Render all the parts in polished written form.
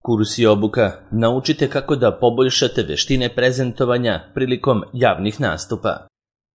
Kurs i obuka. Naučite kako da poboljšate veštine prezentovanja prilikom javnih nastupa.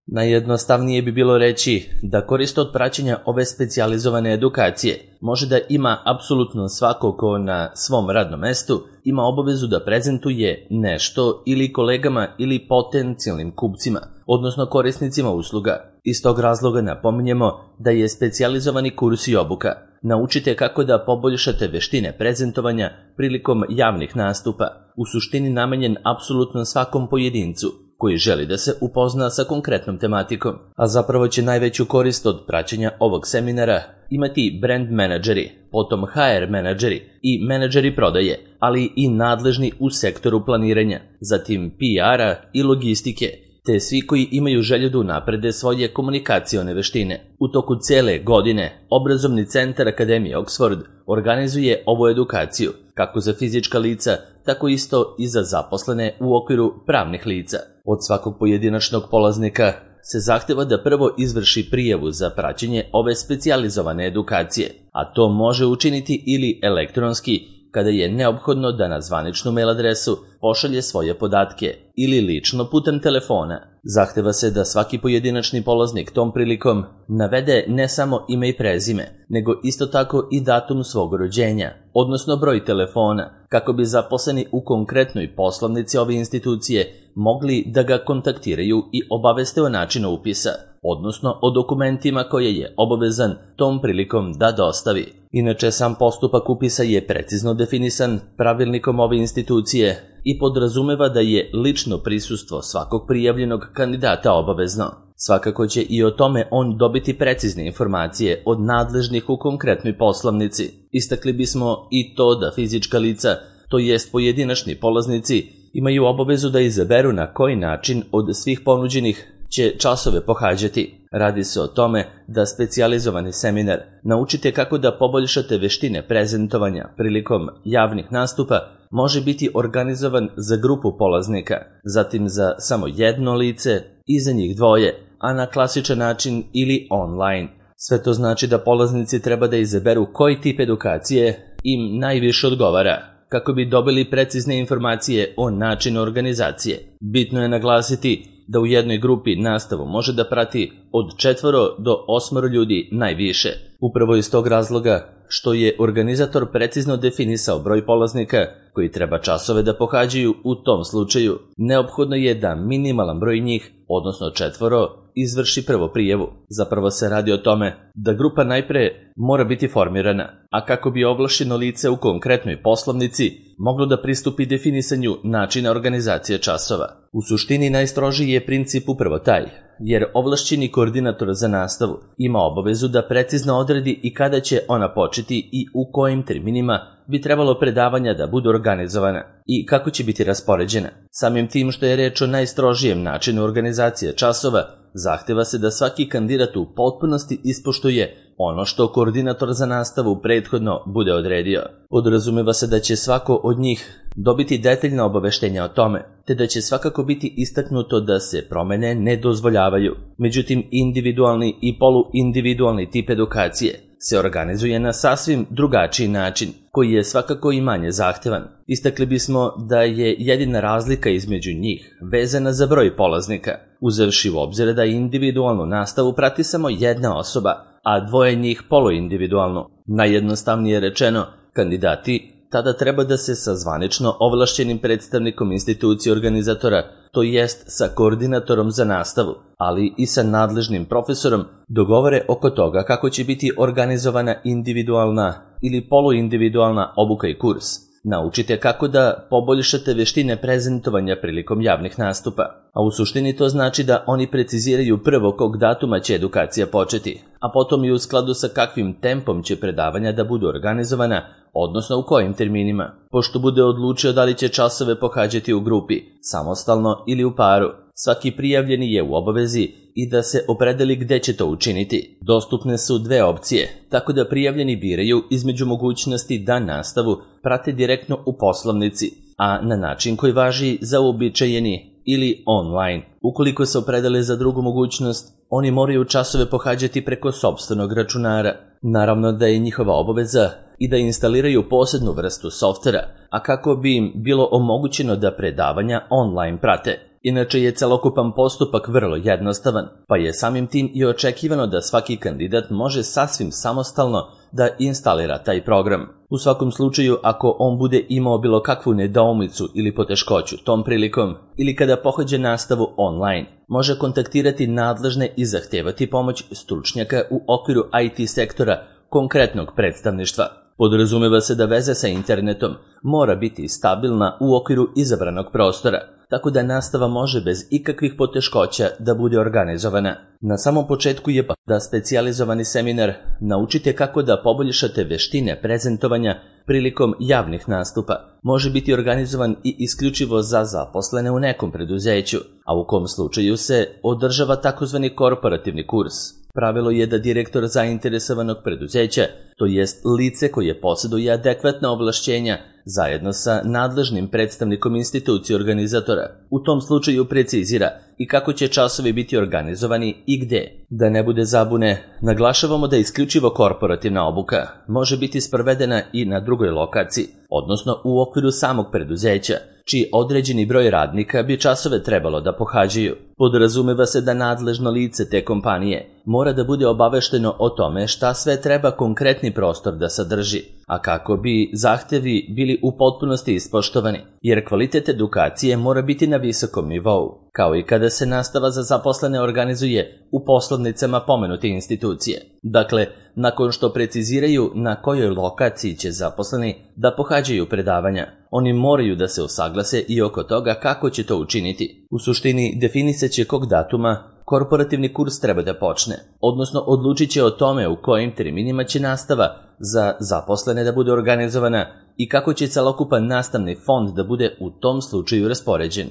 Najjednostavnije bi bilo reći da korist od praćenja ove specijalizovane edukacije može da ima apsolutno svako ko na svom radnom mestu ima obavezu da prezentuje nešto ili kolegama ili potencijalnim kupcima, odnosno korisnicima usluga. Iz tog razloga napominjemo da je specijalizovani kurs i obuka. Naučite kako da poboljšate veštine prezentovanja prilikom javnih nastupa, u suštini namenjen apsolutno svakom pojedincu koji želi da se upozna sa konkretnom tematikom, a zapravo će najveću korist od praćenja ovog seminara imati brand menadžeri, potom HR menadžeri i menadžeri prodaje, ali i nadležni u sektoru planiranja, zatim PR-a i logistike, te svi koji imaju želju da unaprede svoje komunikacione veštine. U toku cele godine Obrazovni centar Akademije Oxford organizuje ovu edukaciju, kako za fizička lica, tako isto i za zaposlene u okviru pravnih lica. Od svakog pojedinačnog polaznika se zahteva da prvo izvrši prijavu za praćenje ove specijalizovane edukacije, a to može učiniti ili elektronski, kada je neophodno da na zvaničnu mail adresu pošalje svoje podatke, ili lično putem telefona. Zahteva se da svaki pojedinačni polaznik tom prilikom navede ne samo ime i prezime, nego isto tako i datum svog rođenja, odnosno broj telefona, kako bi zaposleni u konkretnoj poslovnici ove institucije mogli da ga kontaktiraju i obaveste o načinu upisa, odnosno o dokumentima koje je obavezan tom prilikom da dostavi. Inače, sam postupak upisa je precizno definisan pravilnikom ove institucije i podrazumeva da je lično prisustvo svakog prijavljenog kandidata obavezno. Svakako će i o tome on dobiti precizne informacije od nadležnih u konkretnoj poslovnici. Istakli bismo i to da fizička lica, to jest pojedinačni polaznici, imaju obavezu da izaberu na koji način od svih ponuđenih će časove pohađati. Radi se o tome da specijalizovani seminar Naučite kako da poboljšate veštine prezentovanja prilikom javnih nastupa može biti organizovan za grupu polaznika, zatim za samo jedno lice i za njih dvoje, a na klasičan način ili online. Sve to znači da polaznici treba da izaberu koji tip edukacije im najviše odgovara, kako bi dobili precizne informacije o načinu organizacije. Bitno je naglasiti da u jednoj grupi nastavu može da prati od 4 do 8 ljudi najviše. Upravo iz tog razloga što je organizator precizno definisao broj polaznika koji treba časove da pohađaju u tom slučaju, neophodno je da minimalan broj njih, odnosno 4, izvrši prvo prijavu. Zapravo se radi o tome da grupa najpre mora biti formirana, a kako bi ovlašćeno lice u konkretnoj poslovnici moglo da pristupi definisanju načina organizacije časova. U suštini najstrožiji je princip upravo taj, jer ovlašćeni koordinator za nastavu ima obavezu da precizno odredi i kada će ona početi i u kojim terminima bi trebalo predavanja da budu organizovana i kako će biti raspoređena. Samim tim što je reč o najstrožijem načinu organizacije časova, zahteva se da svaki kandidat u potpunosti ispoštuje ono što koordinator za nastavu prethodno bude odredio. Podrazumeva se da će svako od njih dobiti detaljna obaveštenja o tome, te da će svakako biti istaknuto da se promene ne dozvoljavaju. Međutim, individualni i poluindividualni tip edukacije se organizuje na sasvim drugačiji način, koji je svakako i manje zahtevan. Istakli bismo da je jedina razlika između njih vezana za broj polaznika, uzevši u obzir da individualnu nastavu prati samo jedna osoba, a dvoje njih poluindividualno. Najjednostavnije rečeno, kandidati tada treba da se sa zvanično ovlašćenim predstavnikom institucije organizatora, to jest sa koordinatorom za nastavu, ali i sa nadležnim profesorom, dogovore oko toga kako će biti organizovana individualna ili poluindividualna obuka i kurs. Naučite kako da poboljšate veštine prezentovanja prilikom javnih nastupa, a u suštini to znači da oni preciziraju prvo kog datuma će edukacija početi, a potom i u skladu sa kakvim tempom će predavanja da budu organizovana, odnosno u kojim terminima. Pošto bude odlučio da li će časove pohađati u grupi, samostalno ili u paru, svaki prijavljeni je u obavezi i da se opredeli gde će to učiniti. Dostupne su dve opcije, tako da prijavljeni biraju između mogućnosti da nastavu prate direktno u poslovnici, a na način koji važi za uobičajeni ili online. Ukoliko se opredele za drugu mogućnost, oni moraju časove pohađati preko sopstvenog računara. Naravno da je njihova obaveza i da instaliraju posebnu vrstu softvera, a kako bi im bilo omogućeno da predavanja online prate. Inače je celokupan postupak vrlo jednostavan, pa je samim tim i očekivano da svaki kandidat može sasvim samostalno da instalira taj program. U svakom slučaju, ako on bude imao bilo kakvu nedoumicu ili poteškoću tom prilikom ili kada pohađa nastavu online, može kontaktirati nadležne i zahtevati pomoć stručnjaka u okviru IT sektora konkretnog predstavništva. Podrazumeva se da veza sa internetom mora biti stabilna u okviru izabranog prostora, tako da nastava može bez ikakvih poteškoća da bude organizovana. Na samom početku je da specijalizovani seminar Naučite kako da poboljšate veštine prezentovanja prilikom javnih nastupa može biti organizovan i isključivo za zaposlene u nekom preduzeću, a u kom slučaju se održava takozvani korporativni kurs. Pravilo je da direktor zainteresovanog preduzeća, to jest lice koje posjeduje adekvatna ovlašćenja, zajedno sa nadležnim predstavnikom institucije organizatora, u tom slučaju precizira i kako će časovi biti organizovani i gde. Da ne bude zabune, naglašavamo da isključivo korporativna obuka može biti sprovedena i na drugoj lokaciji, odnosno u okviru samog preduzeća, čiji određeni broj radnika bi časove trebalo da pohađaju. Podrazumeva se da nadležno lice te kompanije mora da bude obavešteno o tome šta sve treba konkretni prostor da sadrži, a kako bi zahtevi bili u potpunosti ispoštovani, jer kvalitet edukacije mora biti na visokom nivou, kao i kada se nastava za zaposlene organizuje u poslovnicama pomenute institucije. Dakle, nakon što preciziraju na kojoj lokaciji će zaposleni da pohađaju predavanja, oni moraju da se usaglase i oko toga kako će to učiniti. U suštini, definisat će kog datuma korporativni kurs treba da počne, odnosno odlučit će o tome u kojim terminima će nastava za zaposlene da bude organizovana i kako će celokupan nastavni fond da bude u tom slučaju raspoređen.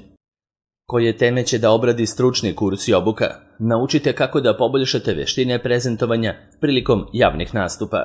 Koje teme će da obradi stručni kurs i obuka? Naučite kako da poboljšate veštine prezentovanja prilikom javnih nastupa.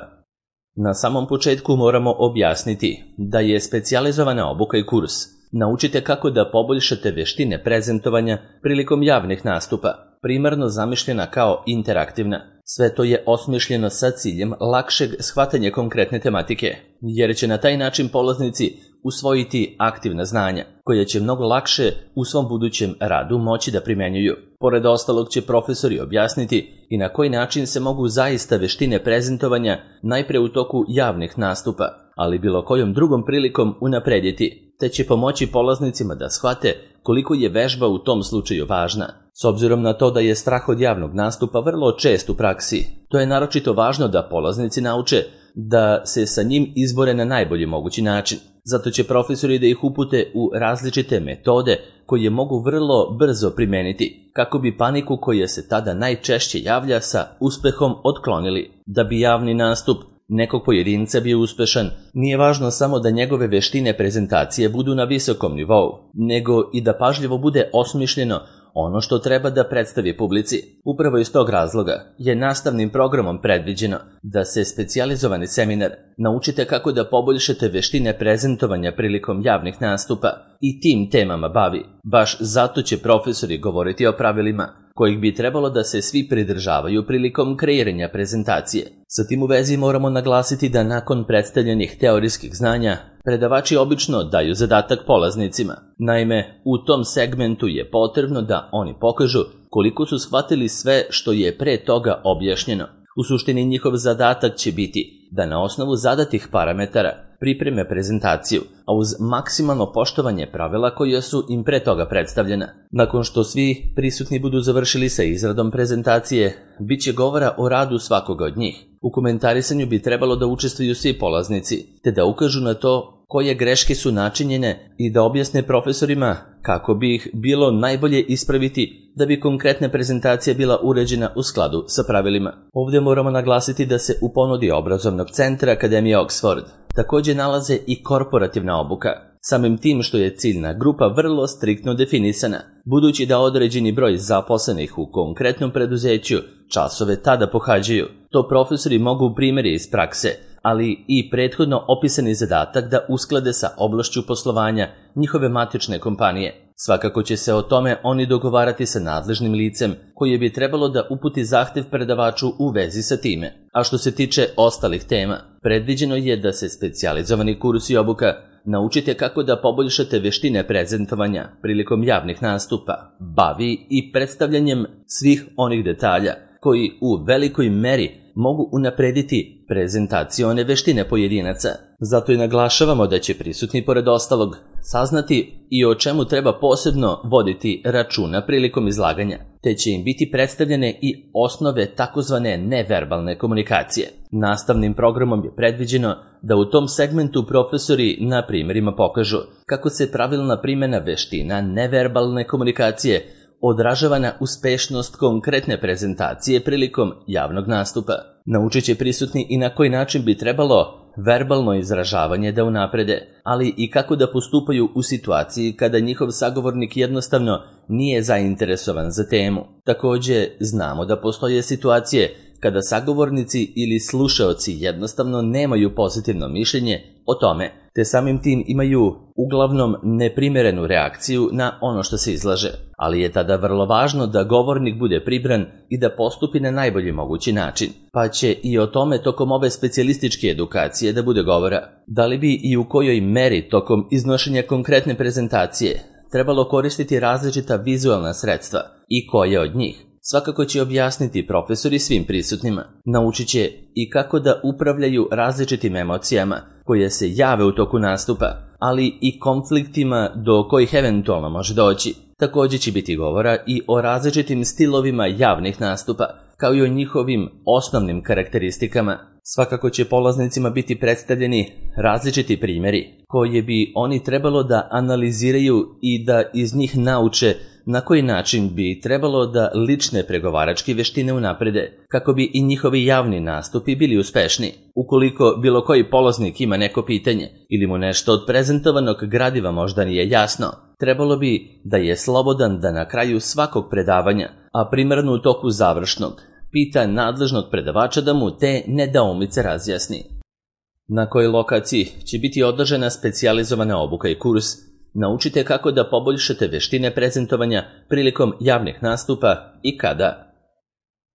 Na samom početku moramo objasniti da je specijalizovana obuka i kurs Naučite kako da poboljšate veštine prezentovanja prilikom javnih nastupa, primarno zamišljena kao interaktivna. Sve to je osmišljeno sa ciljem lakšeg shvatanja konkretne tematike, jer će na taj način polaznici usvojiti aktivna znanja, koja će mnogo lakše u svom budućem radu moći da primenjuju. Pored ostalog će profesori objasniti i na koji način se mogu zaista veštine prezentovanja najpre u toku javnih nastupa, ali bilo kojom drugom prilikom unaprediti, te će pomoći polaznicima da shvate koliko je vežba u tom slučaju važna. S obzirom na to da je strah od javnog nastupa vrlo čest u praksi, to je naročito važno da polaznici nauče da se sa njim izbore na najbolji mogući način. Zato će profesori da ih upute u različite metode koje mogu vrlo brzo primeniti, kako bi paniku koja se tada najčešće javlja sa uspehom otklonili. Da bi javni nastup nekog pojedinca bio uspešan, nije važno samo da njegove veštine prezentacije budu na visokom nivou, nego i da pažljivo bude osmišljeno ono što treba da predstavi publici. Upravo iz tog razloga je nastavnim programom predviđeno da se specijalizovani seminar Naučite kako da poboljšate veštine prezentovanja prilikom javnih nastupa i tim temama bavi. Baš zato će profesori govoriti o pravilima kojih bi trebalo da se svi pridržavaju prilikom kreiranja prezentacije. Sa tim u vezi moramo naglasiti da nakon predstavljenih teorijskih znanja, predavači obično daju zadatak polaznicima. Naime, u tom segmentu je potrebno da oni pokažu koliko su shvatili sve što je pre toga objašnjeno. U suštini njihov zadatak će biti da na osnovu zadatih parametara pripreme prezentaciju, a uz maksimalno poštovanje pravila koja su im pre toga predstavljena. Nakon što svi prisutni budu završili sa izradom prezentacije, bit će govora o radu svakoga od njih. U komentarisanju bi trebalo da učestvuju svi polaznici, te da ukažu na to koje greške su načinjene i da objasne profesorima kako bi ih bilo najbolje ispraviti da bi konkretna prezentacija bila uređena u skladu sa pravilima. Ovdje moramo naglasiti da se u ponudi obrazovnog centra Akademije Oxford također nalaze i korporativna obuka, samim tim što je ciljna grupa vrlo striktno definisana, budući da određeni broj zaposlenih u konkretnom preduzeću časove tada pohađaju. To profesori mogu primjeri iz prakse, ali i prethodno opisani zadatak da usklade sa oblašću poslovanja njihove matične kompanije. Svakako će se o tome oni dogovarati sa nadležnim licem koje bi trebalo da uputi zahtev predavaču u vezi sa time. A što se tiče ostalih tema, predviđeno je da se specijalizovani kurs i obuka naučite kako da poboljšate veštine prezentovanja prilikom javnih nastupa, bavi i predstavljanjem svih onih detalja koji u velikoj meri mogu unaprediti prezentacione veštine pojedinaca. Zato i naglašavamo da će prisutni pored ostalog saznati i o čemu treba posebno voditi računa prilikom izlaganja, te će im biti predstavljene i osnove takozvane neverbalne komunikacije. Nastavnim programom je predviđeno da u tom segmentu profesori na primjerima pokažu kako se pravilna primjena veština neverbalne komunikacije odražava na uspešnost konkretne prezentacije prilikom javnog nastupa. Naučit će prisutni i na koji način bi trebalo verbalno izražavanje da unaprede, ali i kako da postupaju u situaciji kada njihov sagovornik jednostavno nije zainteresovan za temu. Također znamo da postoje situacije kada sagovornici ili slušaoci jednostavno nemaju pozitivno mišljenje o tome, te samim tim imaju uglavnom neprimjerenu reakciju na ono što se izlaže, ali je tada vrlo važno da govornik bude pribran i da postupi na najbolji mogući način, pa će i o tome tokom ove specijalističke edukacije da bude govora. Da li bi i u kojoj meri tokom iznošenja konkretne prezentacije trebalo koristiti različita vizualna sredstva i koje od njih? Svakako će objasniti profesori svim prisutnima. Naučit će i kako da upravljaju različitim emocijama koje se jave u toku nastupa, ali i konfliktima do kojih eventualno može doći. Također će biti govora i o različitim stilovima javnih nastupa, kao i o njihovim osnovnim karakteristikama. Svakako će polaznicima biti predstavljeni različiti primjeri koje bi oni trebalo da analiziraju i da iz njih nauče na koji način bi trebalo da lične pregovaračke veštine unaprede, kako bi i njihovi javni nastupi bili uspešni. Ukoliko bilo koji polaznik ima neko pitanje ili mu nešto od prezentovanog gradiva možda nije jasno, trebalo bi da je slobodan da na kraju svakog predavanja, a primarno u toku završnog, pita nadležnog predavača da mu te nedoumice razjasni. Na kojoj lokaciji će biti održana specijalizovana obuka i kurs? Naučite kako da poboljšate veštine prezentovanja prilikom javnih nastupa i kada.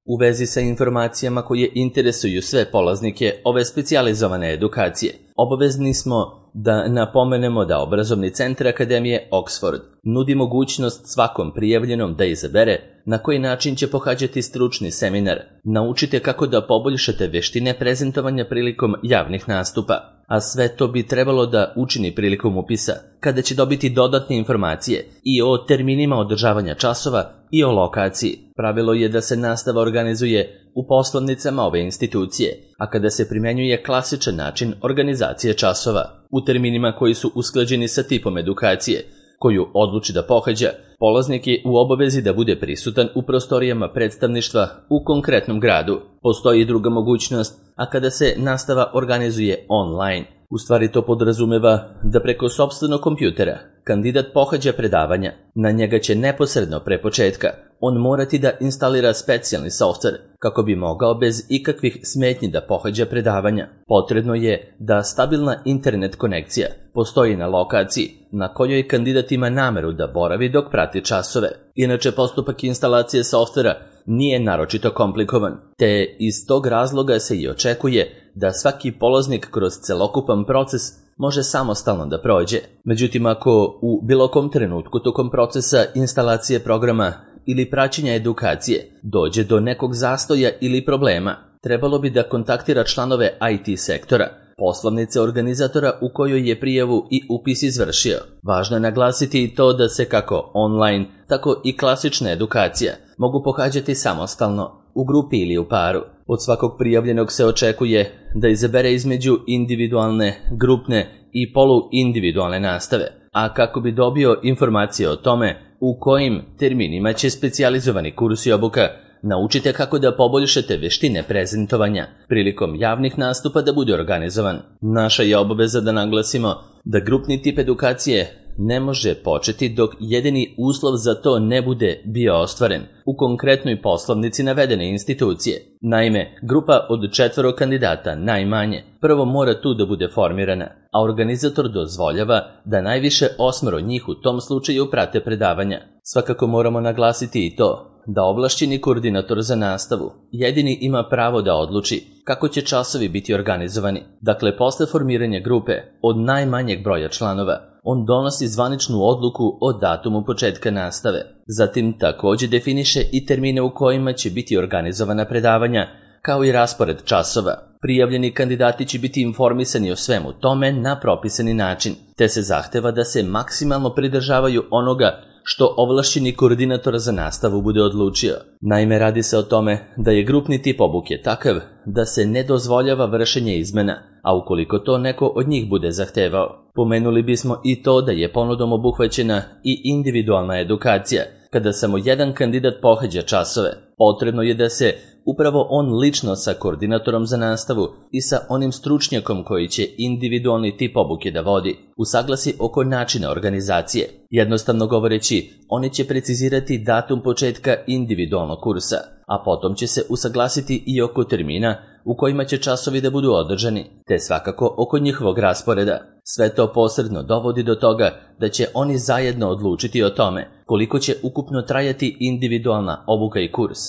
U vezi sa informacijama koje interesuju sve polaznike ove specijalizovane edukacije, obavezni smo da napomenemo da Obrazovni centar Akademije Oxford nudi mogućnost svakom prijavljenom da izabere na koji način će pohađati stručni seminar. Naučite kako da poboljšate veštine prezentovanja prilikom javnih nastupa, a sve to bi trebalo da učini prilikom upisa, kada će dobiti dodatne informacije i o terminima održavanja časova i o lokaciji. Pravilo je da se nastava organizuje u poslovnicama ove institucije, a kada se primjenjuje klasičan način organizacije časova, u terminima koji su usklađeni sa tipom edukacije koju odluči da pohađa, polaznik je u obavezi da bude prisutan u prostorijama predstavništva u konkretnom gradu. Postoji i druga mogućnost, a kada se nastava organizuje online. U stvari to podrazumeva da preko sopstvenog kompjutera kandidat pohađa predavanja. Na njega će neposredno pre početka on morati da instalira specijalni softver kako bi mogao bez ikakvih smetnji da pohađa predavanja. Potrebno je da stabilna internet konekcija postoji na lokaciji na kojoj kandidat ima nameru da boravi dok prati časove. Inače, postupak instalacije softvera nije naročito komplikovan, te iz tog razloga se i očekuje da svaki polaznik kroz celokupan proces može samostalno da prođe. Međutim, ako u bilo kom trenutku tokom procesa instalacije programa ili praćenja edukacije dođe do nekog zastoja ili problema, trebalo bi da kontaktira članove IT sektora, poslovnice organizatora u kojoj je prijavu i upis izvršio. Važno je naglasiti i to da se kako online, tako i klasična edukacija mogu pohađati samostalno, u grupi ili u paru. Od svakog prijavljenog se očekuje da izabere između individualne, grupne i poluindividualne nastave, a kako bi dobio informacije o tome u kojim terminima će specijalizovani kurs i obuka, naučite kako da poboljšate veštine prezentovanja prilikom javnih nastupa da bude organizovan. Naša je obaveza da naglasimo da grupni tip edukacije ne može početi dok jedini uslov za to ne bude bio ostvaren u konkretnoj poslovnici navedene institucije. Naime, grupa od 4 kandidata najmanje prvo mora tu da bude formirana, a organizator dozvoljava da najviše 8 njih u tom slučaju prate predavanja. Svakako moramo naglasiti i to da ovlašćeni koordinator za nastavu jedini ima pravo da odluči kako će časovi biti organizovani. Dakle, posle formiranja grupe od najmanjeg broja članova, on donosi zvaničnu odluku o datumu početka nastave. Zatim takođe definiše i termine u kojima će biti organizovana predavanja, kao i raspored časova. Prijavljeni kandidati će biti informisani o svemu tome na propisani način, te se zahteva da se maksimalno pridržavaju onoga što ovlašćeni koordinator za nastavu bude odlučio. Naime, radi se o tome da je grupni tip obuke takav da se ne dozvoljava vršenje izmena, a ukoliko to neko od njih bude zahtevao. Pomenuli bismo i to da je ponudom obuhvaćena i individualna edukacija. Kada samo jedan kandidat pohađa časove, potrebno je da se upravo on lično sa koordinatorom za nastavu i sa onim stručnjakom koji će individualni tip obuke da vodi usaglasi oko načina organizacije. Jednostavno govoreći, oni će precizirati datum početka individualnog kursa, a potom će se usaglasiti i oko termina u kojima će časovi da budu održani, te svakako oko njihovog rasporeda. Sve to posredno dovodi do toga da će oni zajedno odlučiti o tome koliko će ukupno trajati individualna obuka i kurs.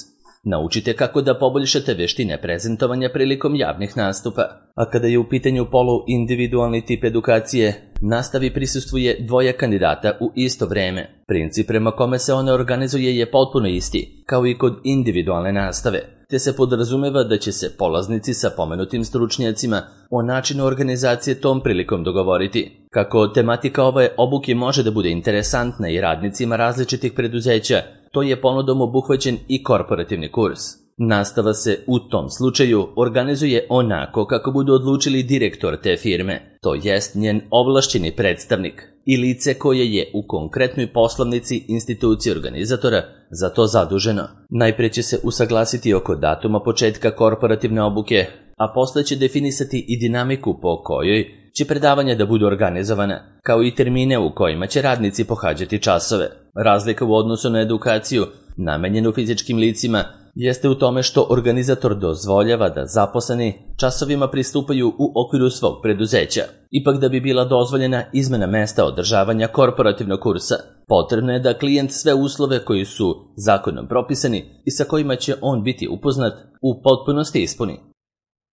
Naučite kako da poboljšate veštine prezentovanja prilikom javnih nastupa. A kada je u pitanju poluindividualni tip edukacije, nastavi prisustvuje dvoje kandidata u isto vreme. Princip prema kome se ona organizuje je potpuno isti, kao i kod individualne nastave, te se podrazumeva da će se polaznici sa pomenutim stručnjacima o načinu organizacije tom prilikom dogovoriti. Kako tematika ove obuke može da bude interesantna i radnicima različitih preduzeća, to je ponudom obuhvaćen i korporativni kurs. Nastava se u tom slučaju organizuje onako kako budu odlučili direktor te firme, to jest njen ovlašćeni predstavnik i lice koje je u konkretnoj poslovnici institucije organizatora za to zaduženo. Najpre će se usaglasiti oko datuma početka korporativne obuke, a posle će definisati i dinamiku po kojoj će predavanja da budu organizovana, kao i termine u kojima će radnici pohađati časove. Razlika u odnosu na edukaciju namenjenu fizičkim licima jeste u tome što organizator dozvoljava da zaposleni časovima pristupaju u okviru svog preduzeća. Ipak da bi bila dozvoljena izmena mesta održavanja korporativnog kursa, potrebno je da klijent sve uslove koji su zakonom propisani i sa kojima će on biti upoznat u potpunosti ispuni.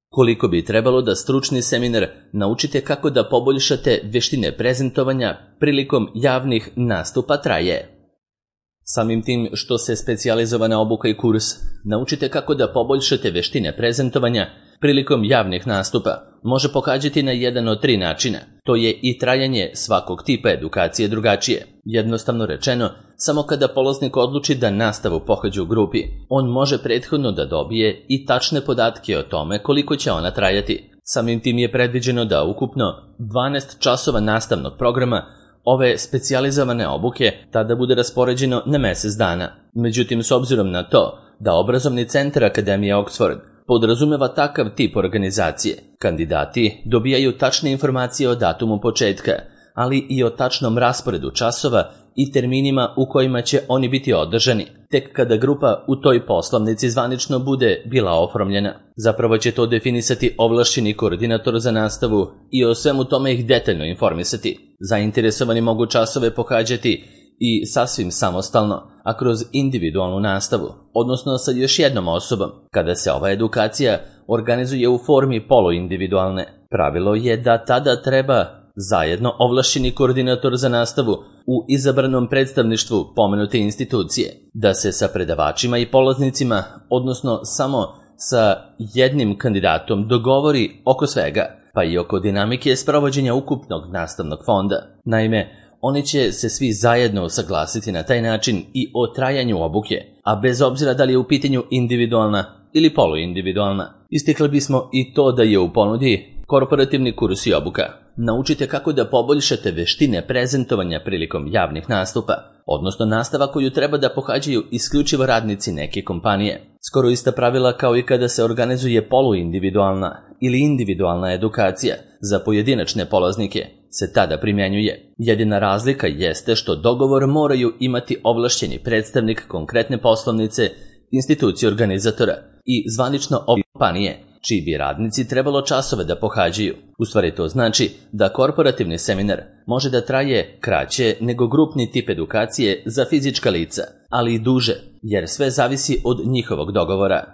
Koliko bi trebalo da stručni seminar naučite kako da poboljšate veštine prezentovanja prilikom javnih nastupa traje? Samim tim što se specijalizovana obuka i kurs naučite kako da poboljšate veštine prezentovanja prilikom javnih nastupa može pohađati na jedan od 3 načina. To je i trajanje svakog tipa edukacije drugačije. Jednostavno rečeno, samo kada polaznik odluči da nastavu pohađa u grupi, on može prethodno da dobije i tačne podatke o tome koliko će ona trajati. Samim tim je predviđeno da ukupno 12 časova nastavnog programa ove specijalizovane obuke tada bude raspoređeno na mesec dana. Međutim, s obzirom na to da obrazovni centar Akademije Oxford podrazumeva takav tip organizacije, kandidati dobijaju tačne informacije o datumu početka, ali i o tačnom rasporedu časova i terminima u kojima će oni biti održani, tek kada grupa u toj poslovnici zvanično bude bila oformljena. Zapravo će to definisati ovlašćeni koordinator za nastavu i o svemu tome ih detaljno informisati. Zainteresovani mogu časove pohađati i sasvim samostalno, a kroz individualnu nastavu, odnosno sa još jednom osobom, kada se ova edukacija organizuje u formi poluindividualne. Pravilo je da tada treba zajedno ovlašćeni koordinator za nastavu u izabranom predstavništvu pomenute institucije, da se sa predavačima i polaznicima, odnosno samo sa jednim kandidatom dogovori oko svega, pa i oko dinamike sprovođenja ukupnog nastavnog fonda. Naime, oni će se svi zajedno usaglasiti na taj način i o trajanju obuke, a bez obzira da li je u pitanju individualna ili poluindividualna. Istakli bismo i to da je u ponudi korporativni kurs i obuka. Naučite kako da poboljšate veštine prezentovanja prilikom javnih nastupa, odnosno nastava koju treba da pohađaju isključivo radnici neke kompanije. Skoro ista pravila kao i kada se organizuje poluindividualna ili individualna edukacija za pojedinačne polaznike se tada primjenjuje. Jedina razlika jeste što dogovor moraju imati ovlašćeni predstavnik konkretne poslovnice, institucije organizatora i zvanično kompanije, čiji bi radnici trebalo časove da pohađaju. U stvari to znači da korporativni seminar može da traje kraće nego grupni tip edukacije za fizička lica, ali i duže, jer sve zavisi od njihovog dogovora.